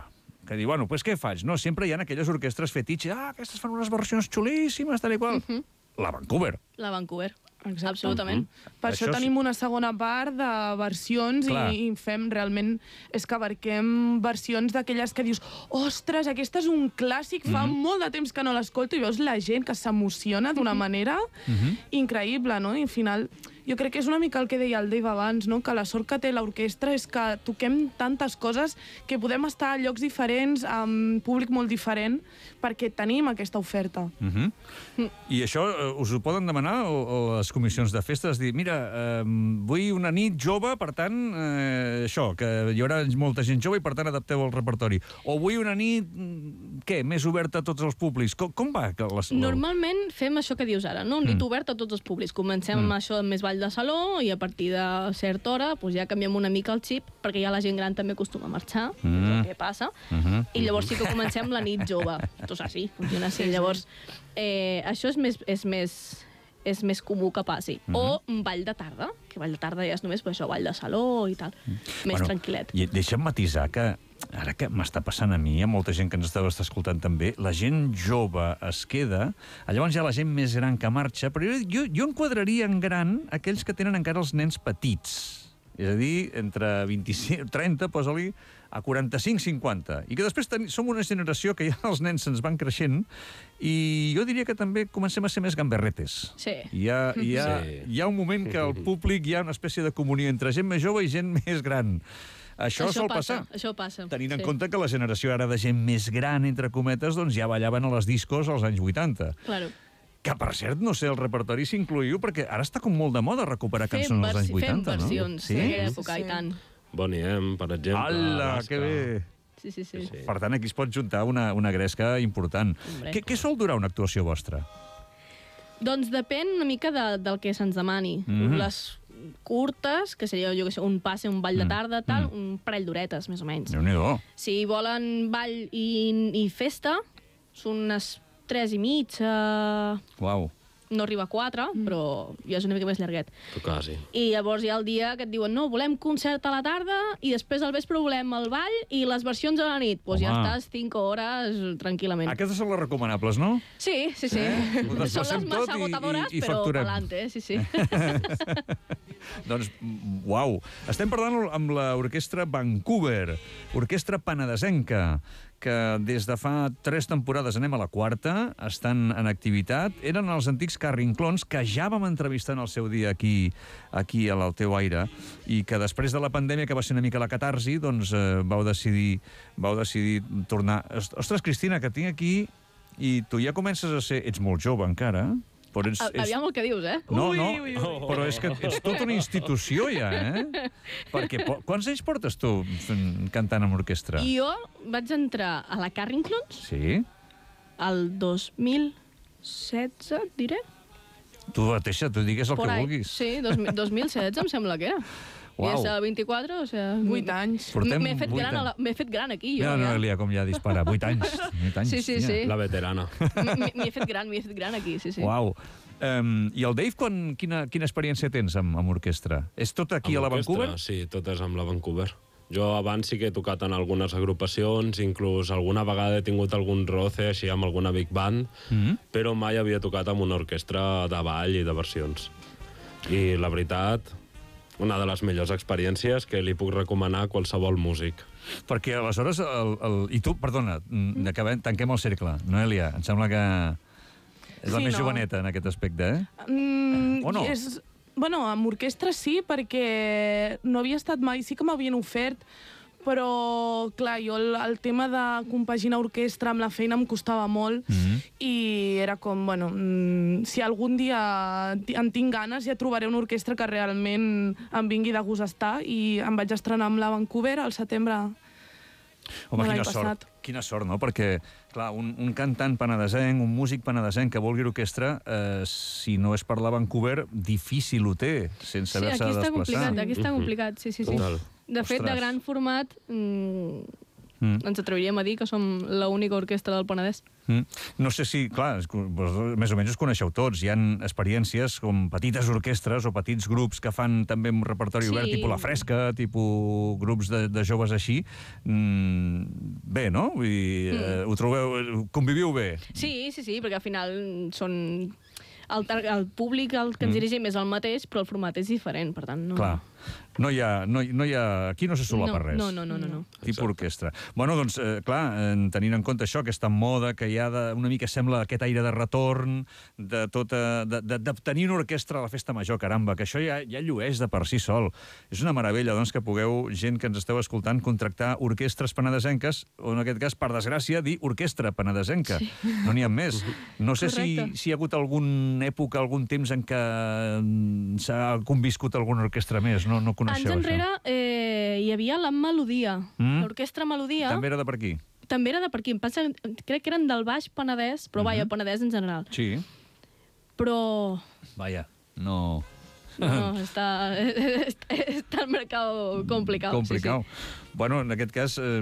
que diu, bueno, pues què faig? No, sempre hi ha aquelles orquestres fetitxe, ah, aquestes fan unes versions xulíssimes, tal i qual. Mhm. La Vancouver. La Vancouver. Exacte. Absolutament. Per Això això és- tenim una segona part de versions Clar. i, i fem realment... És que abarquem versions d'aquelles que dius ostres, aquesta és un clàssic, fa molt de temps que no l'escolto i veus la gent que s'emociona d'una manera increïble, no? I al final jo crec que és una mica el que deia el Dave abans, no? Que la sort que té l'orquestra és que toquem tantes coses que podem estar a llocs diferents, amb públic molt diferent, perquè tenim aquesta oferta. Uh -huh. I això eh, us ho poden demanar o, o les comissions de festes? Dir, mira, eh, vull una nit jove, per tant, eh, això, que hi haurà molta gent jove i per tant adapteu el repertori. O vull una nit, mm, què, més oberta a tots els públics? Com, com va? Que les, Normalment fem això que dius ara, no? Un nit obert a tots els públics. Comencem amb això amb més ball de saló i a partir de certa hora doncs ja canviem una mica el xip perquè ja la gent gran també acostuma a marxar, és el que passa. I llavors sí que comencem la nit jove. Tot és així, funciona així. Llavors, eh, això és més, és més és més comú que passi. O un ball de tarda, que ball de tarda ja és només per això, ball de saló i tal. Més tranquil·let. I deixa'm matisar que ara que m'està passant a mi, hi ha molta gent que ens estava escoltant també, la gent jove es queda, llavors hi ha la gent més gran que marxa, però jo, jo enquadraria en gran aquells que tenen encara els nens petits. És a dir, entre vint-i-cinc, trenta, posa-li, a quaranta-cinc cinquanta. I que després ten... som una generació que ja els nens se'ns van creixent i jo diria que també comencem a ser més gamberretes. Sí. Hi ha, hi ha, Sí. hi ha un moment que al públic hi ha una espècie de comunió entre gent més jove i gent més gran. Això, sol passa, passar. Això passa. Tenint en sí. compte que la generació ara de gent més gran, entre cometes, doncs ja ballaven a les discos als anys vuitanta. Claro. Que, per cert, no sé, el repertori s'incluïu, perquè ara està com molt de moda recuperar Fem, cançons dels anys versi- vuitanta, fem no? versions Sí? d'aquella època, Sí, i sí. tant. Bonnie M, per exemple. Ala, Alaska. que bé! Sí, sí, sí. Sí. Per tant, aquí es pot juntar una, una gresca important. Hombre. Què, què sol durar una actuació vostra? Doncs depèn una mica de, del que se'ns demani. Mhm. Les curtes, que seria, jo que sé, un passe, un ball de tarda, tal, un parell d'horetes, més o menys. Déu-n'hi-do. Si volen ball i, i festa, són unes tres i mitja, Uau. no arriba a quatre, però ja és una mica més llarguet. Tu quasi. I llavors hi ha el dia que et diuen no, volem concert a la tarda i després al vespre volem el ball i les versions a la nit. Doncs pues ja Home. estàs cinc hores tranquil·lament. Aquestes són les recomanables, no? Sí, sí, sí. Eh? Ho Són desplacem les tot massa i- agotadores, i- i però facturem. pa'lante, sí, sí. Doncs, uau. Estem parlant amb l'Orquestra Vancouver, orquestra penedesenca, que des de fa tres temporades, anem a la quarta, estan en activitat. Eren els antics Carrinclons, que ja vam entrevistar en el seu dia aquí, aquí a l'Alteu Aire, i que després de la pandèmia, que va ser una mica la catarsi, doncs eh, vau decidir, vau decidir tornar. Ostres, Cristina, que tinc aquí, i tu ja comences a ser... Ets molt jove encara, però ets... A- Aviam el que dius, eh? No, Ui, no, ui, ui. però és que ets tota una institució ja, eh? Perquè po- quants anys portes tu fent- cantant amb orquestra? I jo vaig entrar a la Carrinclons Sí? el dos mil setze, et diré. Tu mateixa, tu digues el Por que ahí. vulguis. Sí, dos, dos mil setze em sembla que era. Uau. I és a vint-i-quatre, o sigui... Vuit anys. Portem M'he fet, vuit gran a la- anys. m'he fet gran aquí, jo. No, no, ja. Elia, com ja dispara. Vuit anys. Vuit anys. Sí, sí, hòstia. sí. La veterana. M- M'he fet gran, m'he fet gran aquí, sí, sí. Uau. Um, I el Dave, quan, quina, quina experiència tens amb, amb orquestra? És tot aquí Amb a la orquestra, Vancouver? Sí, tot és amb la Vancouver. Jo abans sí que he tocat en algunes agrupacions, inclús alguna vegada he tingut algun roce així amb alguna big band, Mm -hmm. però mai havia tocat amb una orquestra de ball i de versions. I la veritat, una de les millors experiències que li puc recomanar a qualsevol músic. Perquè aleshores... El, el... I tu, perdona, mm, acabem, tanquem el cercle. Noelia, em sembla que és la Sí, més no. joveneta en aquest aspecte, eh? Mm, O no? És, bueno, amb orquestra sí, perquè no havia estat mai... Sí que m'havien ofert, però, clar, jo el, el tema de compaginar orquestra amb la feina em costava molt Mhm. i era com, bueno, mm, si algun dia ti- en tinc ganes ja trobaré una orquestra que realment em vingui de gust estar i em vaig estrenar amb la Vancouver al setembre. Home, de l'any quina sort, passat. quina sort, no? Perquè, clar, un, un cantant penedesenc, un músic penedesenc que vulgui orquestra, eh, si no és per la Vancouver, difícil ho té, sense Sí, haver-se aquí de està desplaçar. complicat, aquí està complicat, sí, sí, sí. Total. De fet, de Ostres. gran format, mm, Mm. ens atreviríem a dir que som l'única orquestra del Penedès. Mm. No sé si, clar, és que vos, més o menys us coneixeu tots. Hi ha experiències com petites orquestres o petits grups que fan també un repertori Sí. obert, tipus La Fresca, tipus grups de, de joves així. Mm, bé, no? Vull dir, eh, ho trobeu, conviviu bé. Sí, sí, sí, perquè al final són el, el públic el que ens mm. dirigim és el mateix, però el format és diferent, per tant... No... Clar. No hi ha, no, no hi ha, aquí no se solapa no, res. No, no, no. no, no. Tipus orquestra. Bueno, doncs, eh, clar, tenint en compte això, aquesta moda que hi ha de, una mica sembla aquest aire de retorn, de tota, de, de, de tenir una orquestra a la festa major, caramba, que això ja, ja llueix de per si sol. És una meravella, doncs, que pugueu, gent que ens esteu escoltant, contractar orquestres penedesenques, o en aquest cas, per desgràcia, dir orquestra penedesenca. Sí. No n'hi ha més. No sé si, si hi ha hagut alguna època, algun temps en què s'ha conviscut alguna orquestra més. No, no coneixeu, Anys enrere eh, hi havia la Melodia, mm? l'orquestra Melodia. També era de per aquí? També era de per aquí. Em passa, crec que eren del Baix Penedès, però uh-huh. vaja, Penedès en general. Sí. Però... Vaja, no... No, està, està, està el mercat complicat. Complicat. Sí, sí. Bueno, en aquest cas, eh,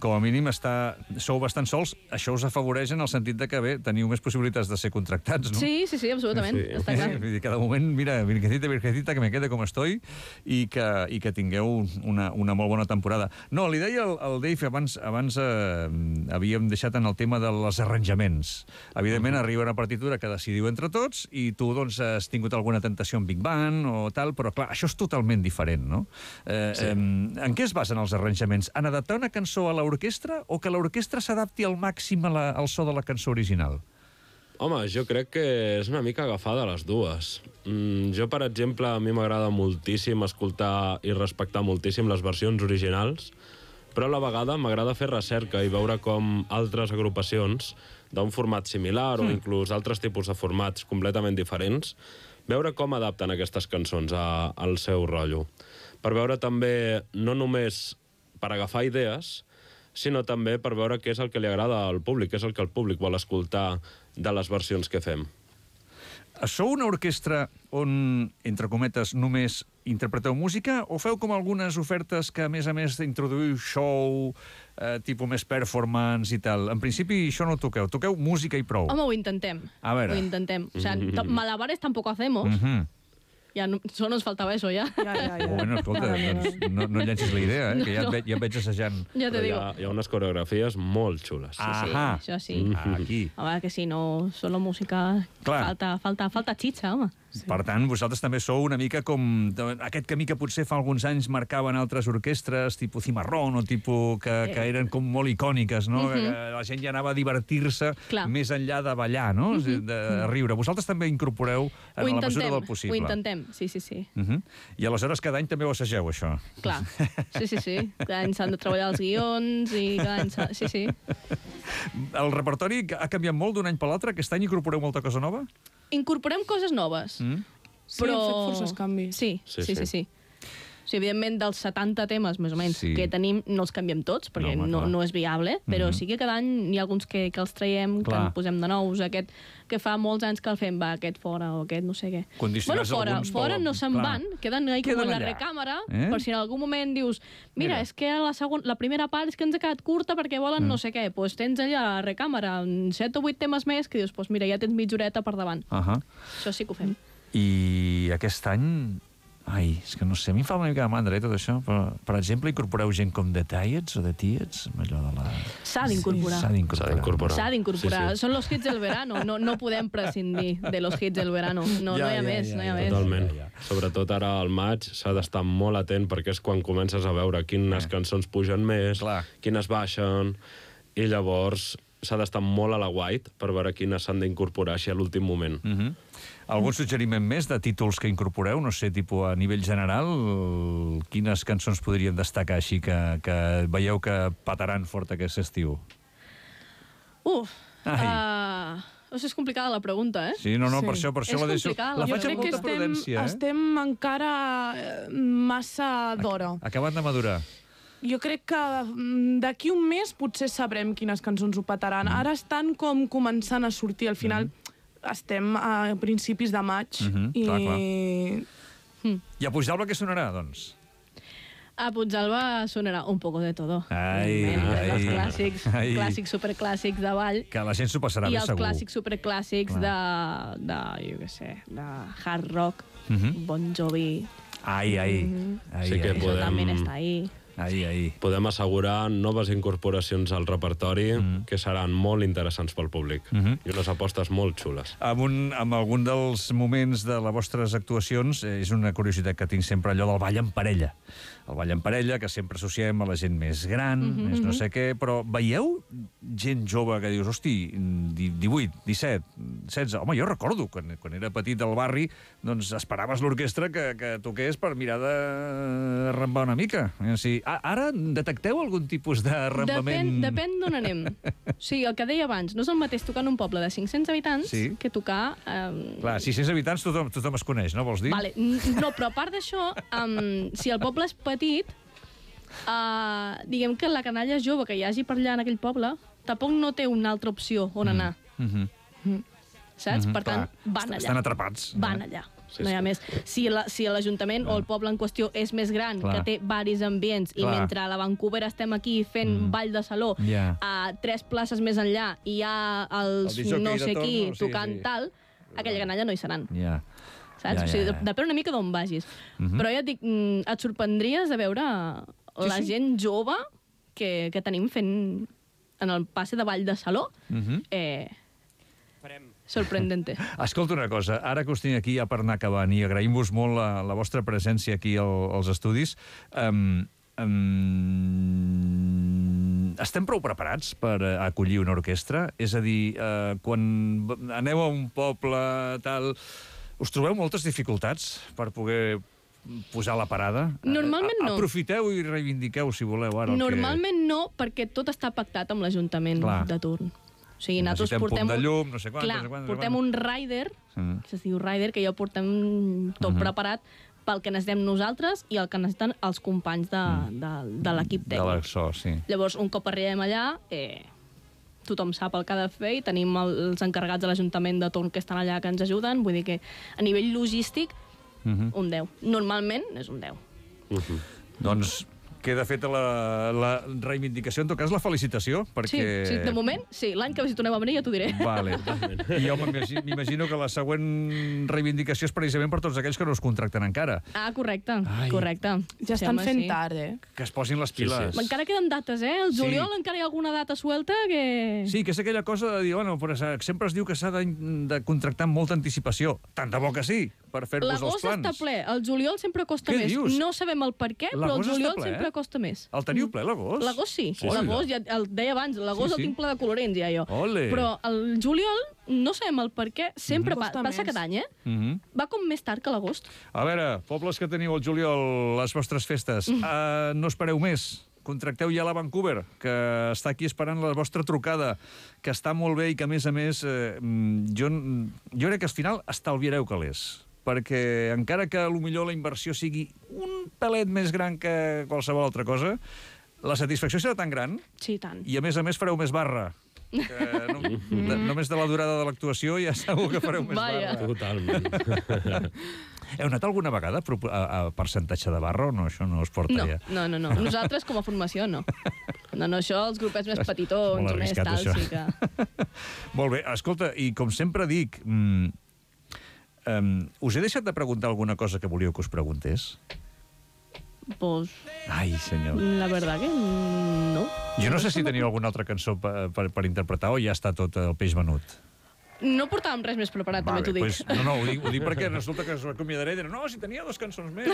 com a mínim, està, sou bastant sols. Això us afavoreix en el sentit de que, bé, teniu més possibilitats de ser contractats, no? Sí, sí, sí, absolutament. Sí. Està clar. Vull dir, cada moment, mira, virgecita, virgecita, que me quede com estoy, i que, i que tingueu una, una molt bona temporada. No, li deia al, al Dave, abans, abans eh, havíem deixat en el tema dels arranjaments. Evidentment, uh-huh. arriba una partitura que decidiu entre tots, i tu, doncs, has tingut alguna tentació en Big Band o tal, però, clar, això és totalment diferent, no? Eh, sí. eh, en què es basen els arranjaments? En adaptar una cançó a l'orquestra o que l'orquestra s'adapti al màxim a la, al so de la cançó original? Home, jo crec que és una mica agafada les dues. Mm, jo, per exemple, a mi m'agrada moltíssim escoltar i respectar moltíssim les versions originals, però a la vegada m'agrada fer recerca i veure com altres agrupacions d'un format similar mm. o inclús altres tipus de formats completament diferents, veure com adapten aquestes cançons a, al seu rotllo. Per veure també, no només per agafar idees, sinó també per veure què és el que li agrada al públic, què és el que el públic vol escoltar de les versions que fem. Sou una orquestra on, entre cometes, només interpreteu música o feu com algunes ofertes que, a més a més, introduïu show, eh, tipus més performance i tal? En principi, això no ho toqueu. Toqueu música i prou. Home, ho intentem. A veure. Ho intentem. O sea, malabares tampoco hacemos. Mm-hmm. Ja no, solo nos faltaba eso, ja. Ja, ja, ja. Bueno, escolta, doncs no, no llencis la idea, eh? Que ja et, ve, ja et veig assajant. Ja te digo. Hi ha, hi ha unes coreografies molt xules. Sí, sí, Ahà. això sí. Aquí. Home, que si no, solo música... Clar. Falta, falta, falta xitxa, home. Sí. Per tant, vosaltres també sou una mica com aquest camí que potser fa alguns anys marcaven altres orquestres, tipus Cimarrón, o tipus que, eh. que eren com molt icòniques, no? Uh-huh. Que la gent ja anava a divertir-se més enllà de ballar, no? Uh-huh. De riure. Vosaltres també incorporeu en la mesura del possible. Ho intentem, sí, sí, sí. Uh-huh. I aleshores cada any també ho assageu, això? Clar, sí, sí, sí. Cada any s'han de treballar els guions i cada any s'ha... Sí, sí. El repertori ha canviat molt d'un any per l'altre? Aquest any incorporeu molta cosa nova? Incorporem coses noves. Mm. Sí, però... hem fet forces canvis. Sí, sí, sí. sí, sí. O sigui, evidentment, dels setanta temes, més o menys, sí. que tenim, no els canviem tots, perquè no, home, no, no és viable, però mm-hmm. sí que cada any hi ha alguns que, que els traiem, clar. Que en posem de nous, aquest que fa molts anys que el fem, va, aquest fora o aquest no sé què. Bueno, fora, fora no se'n van, queden ahí com en la recàmera, eh? Per si en algun moment dius, mira, mira. és que la, segon, la primera part és que ens ha quedat curta perquè volen mm. no sé què, doncs pues tens allà a la recàmera set o vuit temes més que dius, doncs pues mira, ja tens mitja horeta per davant. Uh -huh. Això sí que ho fem. I aquest any... Ai, és que no sé, a mi em fa una mica de mandra, eh, tot això, però, per exemple, incorporeu gent com The Tiets o The Tiets, allò de la... S'ha d'incorporar. S'ha d'incorporar. S'ha d'incorporar. Sí, sí. Són los hits del verano, no, no podem prescindir de los hits del verano. No, ja, no hi ha ja, més, ja, no hi ha ja, més. Totalment. Ja, ja. Sobretot ara al maig s'ha d'estar molt atent perquè és quan comences a veure quines eh. cançons pugen més, clar. Quines baixen, i llavors s'ha d'estar molt a la white per veure quines s'han d'incorporar així a l'últim moment. Mm-hmm. Algun suggeriment més de títols que incorporeu? No sé, tipus a nivell general, quines cançons podríem destacar així que, que veieu que pataran fort aquest estiu? Uf, uh, no sé, és complicada la pregunta, eh? Sí, no, no, sí. per això, per això és la deixo. La faig amb molta estem, prudència, eh? Estem encara massa d'hora. Acabat de madurar. Jo crec que d'aquí un mes potser sabrem quines cançons ho petaran. Mm. Ara estan com començant a sortir. Al final mm. estem a principis de maig. Mm-hmm. I... Clar, clar. Mm. I a Puigdàlber què sonarà, doncs? A Puigdàlber sonarà un poco de todo. Ai, ai, els clàssics, ai. clàssics superclàssics de ball. Que la gent s'ho passarà bé, segur. I els clàssics superclàssics de, de, jo què sé, de hard rock, mm-hmm. Bon Jovi. Ai, ai. Mm-hmm. ai sí que ai. podem... Això també està ahí. Ai, ai. podem assegurar noves incorporacions al repertori Mm. que seran molt interessants pel públic. Mhm. I unes apostes molt xules. Amb, un, amb algun dels moments de les vostres actuacions, eh, és una curiositat que tinc sempre, allò del ball en parella. El ball en parella, que sempre associem a la gent més gran, Mhm, més no mhm. sé què, però veieu gent jove que dius, hosti, di- divuit, disset, setze... Home, jo recordo, quan, quan era petit al barri, doncs esperaves l'orquestra que, que toqués per mirar de rambar una mica. O sigui, a- ara detecteu algun tipus de rambament? Depèn, depèn d'on anem. O sigui, el que deia abans, no és el mateix tocar en un poble de cinc-cents habitants Sí. que tocar... Eh, Clar, sis-cents habitants tothom, tothom es coneix, no vols dir? Vale, n- no, però a part d'això, um, si el poble és petit, uh, diguem que la canalla jove que hi hagi per allà en aquell poble tampoc no té una altra opció on anar, Mhm. saps? Mhm, Per tant, clar. van Est- allà. Estan atrapats. Van eh? allà. Sí, No hi ha sí. més. Si la- si l'Ajuntament o el poble en qüestió és més gran, Clar. que té varis ambients, i Clar. mentre a la Vancouver estem aquí fent Mm. ball de saló, Ja. a tres places més enllà hi ha els El disjockey no de sé torn, qui no? Sí, tocant sí. tal, aquella canalla no hi seran. Ja. Saps? Ja, O sigui, ja, ja. depèn una mica d'on vagis. Mhm. Però ja et dic, mm, et sorprendries de veure Sí, la sí. gent jove que, que tenim fent en el passe de ball de saló. Mhm. Eh, sorprendente. Escolta una cosa, ara que us tinc aquí ja per anar acabant i agraïm-vos molt la, la vostra presència aquí al, als estudis, um, um, estem prou preparats per eh, acollir una orquestra? És a dir, uh, quan v- aneu a un poble, tal, us trobeu moltes dificultats per poder posar la parada? Normalment Eh, a- no. Aprofiteu i reivindiqueu, si voleu, ara el Normalment no, perquè tot està pactat amb l'Ajuntament Clar. de turn. O sigui, que... nosaltres Necessitem portem... punt de un- llum, no sé quant, Clar, no sé quant, no sé portem quant. un rider, Mm. que es diu rider, que ja portem tot Mhm. preparat pel que necessitem nosaltres i el que necessiten els companys de, de, de l'equip De tècnic. l'Axó, sí. Llavors, un cop arribem allà, eh, tothom sap el que ha de fer i tenim el, els encarregats de l'Ajuntament de torn que estan allà que ens ajuden. Vull dir que a nivell logístic, Mhm. un deu. Normalment és un deu. Mhm. Doncs queda feta la, la reivindicació, en tot cas la felicitació, perquè... Sí, sí, de moment, sí. L'any que si tornem a venir ja t'ho diré. Vale. I jo m'imagi- m'imagino que la següent reivindicació és precisament per tots aquells que no us contracten encara. Ah, correcte, Ai. correcte. Ja Sí, estan home, fent sí. tard, eh? Que es posin les piles. sí. Encara queden dates, eh? El Sí. juliol encara hi ha alguna data suelta que... Sí, que és aquella cosa de dir, bueno, però sempre es diu que s'ha de, de contractar amb molta anticipació. Tant de bo que sí, per fer-vos els L'agost plans. està ple, el juliol sempre costa Què més. dius? No sabem el per què, però el L'agost està juliol ple, eh? sempre costa més. El teniu ple, l'agost? L'agost sí, sí Hola. l'agost, ja el deia abans, l'agost Sí, sí. el tinc ple de colorins, ja jo. Ole. Però el juliol no sabem el per què, sempre Mhm. pa Costa passa més. cada any, eh? Mhm. Va com més tard que l'agost. A veure, pobles que teniu al juliol, les vostres festes, Mm. uh, no espereu més. Contracteu ja la Vancouver, que està aquí esperant la vostra trucada, que està molt bé i que, a més a més, eh, mm, jo, jo crec que al final estalviareu calés, perquè encara que potser la inversió sigui un pelet més gran que qualsevol altra cosa, la satisfacció serà tan gran Sí, tant. i, a més a més, fareu més barra. Que no, de, només de la durada de l'actuació ja segur que fareu més Vaja. barra. Totalment. Heu anat alguna vegada a, propo- a, a percentatge de barra o no? Això no us porta No, ja. no, no, no. Nosaltres, com a formació, no. No, no, això, els grupets més petitons, Molt més arriscat, tal, això. sí que... Molt bé, escolta, i com sempre dic, mm, um, us he deixat de preguntar alguna cosa que volíeu que us preguntés? Pues, Ai, senyor. la verdad que no. Jo no sé si teniu alguna altra cançó per, per, per interpretar o ja està tot el peix venut. No portàvem res més preparat, també t'ho dic. Pues, no, no, ho dic, ho dic perquè resulta que us acomiadaré i diré, no, si tenia dos cançons més.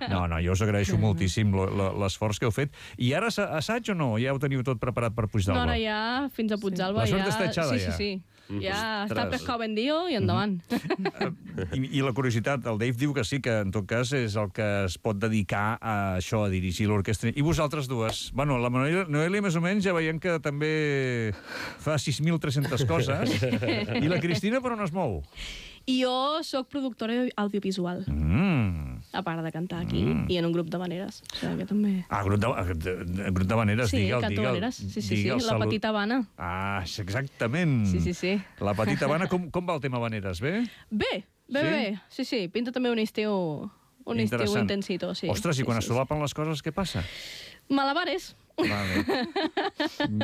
No, no, jo us agraeixo moltíssim lo- lo- l'esforç que heu fet. I ara assa- assaig o no? Ja ho teniu tot preparat per No, Puigdàlber? ara ja, fins a Puigdàlber, La ja... suerte està echada, sí, ja. sí, sí. Ja està Ostres. pescado vendido i endavant. I, I la curiositat, el Dave diu que sí, que en tot cas és el que es pot dedicar a això, a dirigir l'orquestra. I vosaltres dues? Bueno, la Noelia, Noelia més o menys ja veiem que també fa sis mil tres-centes coses. I la Cristina per on es mou? I jo sóc productora audiovisual, Mm. a part de cantar aquí, mm. i en un grup de maneres. O sigui que també... Ah, grup de, de, grup de maneres, Sí, digue'l, canto digue'l. maneres. Sí, sí, sí, digue'l, la salut. petita Habana. Ah, sí, exactament. Sí, sí, sí. La petita Habana, com, com va el tema Vaneres, bé? Bé, bé, Sí? bé. Sí, sí, pinta també un estiu, un estiu Interessant. intensito, sí. Ostres, sí, i quan sí, es solapen les coses, què passa? sí. Malabares. Vale.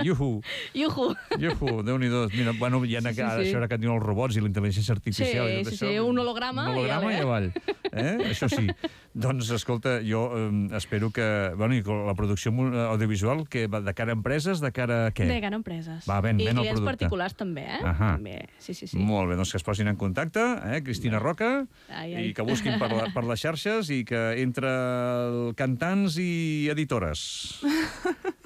Iuhu. Iuhu. Iuhu, Déu-n'hi-do. Mira, bueno, hi ha Sí, sí, ara sí. això ara que et diuen els robots i la intel·ligència artificial. Sí, i tot sí, això. sí, un holograma Un holograma i i avall. avall. Eh? Això sí. Doncs, escolta, jo eh, espero que... Bueno, i la producció audiovisual, que va de cara a empreses, de cara a què? De cara a empreses. Va, ven, I ven el clients producte. particulars també, eh? Ahà. També. Sí, sí, sí. Molt bé, doncs que es posin en contacte, eh? Cristina Roca, Ai, ai. i que busquin per, la, per les xarxes i que entre cantants i editores,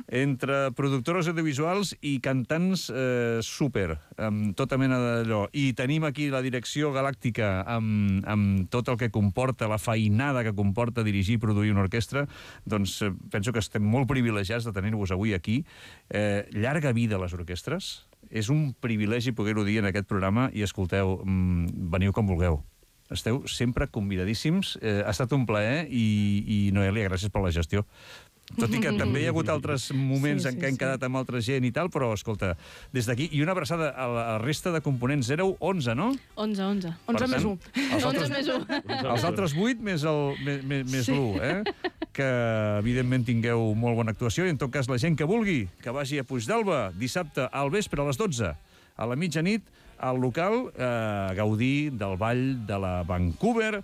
entre productores audiovisuals i cantants eh, súper, amb tota mena d'allò. I tenim aquí la direcció galàctica amb, amb tot el que comporta, la feinada que comporta dirigir i produir una orquestra, doncs eh, penso que estem molt privilegiats de tenir-vos avui aquí. Eh, llarga vida a les orquestres. És un privilegi poder-ho dir en aquest programa i, escolteu, mmm, veniu com vulgueu. Esteu sempre convidadíssims. Eh, ha estat un plaer i, i Noelia, gràcies per la gestió. Tot i que també hi ha hagut altres moments Sí, en sí, què hem sí. quedat amb altra gent i tal, però, escolta, des d'aquí, i una abraçada a la, a la resta de components. Éreu onze, no? onze, onze. onze Per més tant, un. Els onze altres, més un. els altres vuit més, el, més, més, més l'u, eh? Que, evidentment, tingueu molt bona actuació i, en tot cas, la gent que vulgui, que vagi a Puigdàlber dissabte al vespre a les dotze, a la mitjanit, al local, eh, a gaudir del ball de la Vancouver,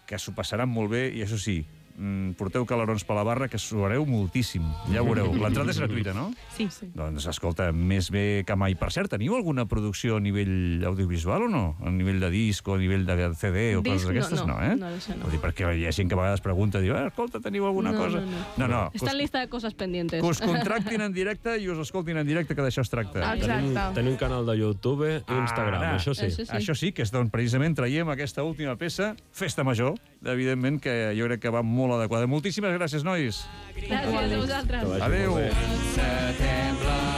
que s'ho passaran molt bé, i això sí, mm, porteu calarons per la barra, que suareu moltíssim. Ja ho veureu. L'entrada és gratuïta, no? Sí, sí. Doncs, escolta, més bé que mai. Per cert, teniu alguna producció a nivell audiovisual o no? A nivell de disc o a nivell de C D o Disc, coses d'aquestes? no, no. eh? No, això no. Vull dir, perquè hi ha gent que a vegades pregunta, diu, eh, escolta, teniu alguna No, cosa? no, no. no. no que Està us, en lista de coses pendientes. que us contractin en directe i us escoltin en directe, que d'això es tracta. Exacte. Tenim, tenim canal de YouTube i Instagram, Ara. això sí. Això sí. Això sí, que és d'on precisament traiem aquesta última peça, Festa Major, evidentment, que jo crec que va molt adequada. Moltíssimes gràcies, nois. Gràcies a vosaltres. Que vagi Adéu. molt bé. Setembre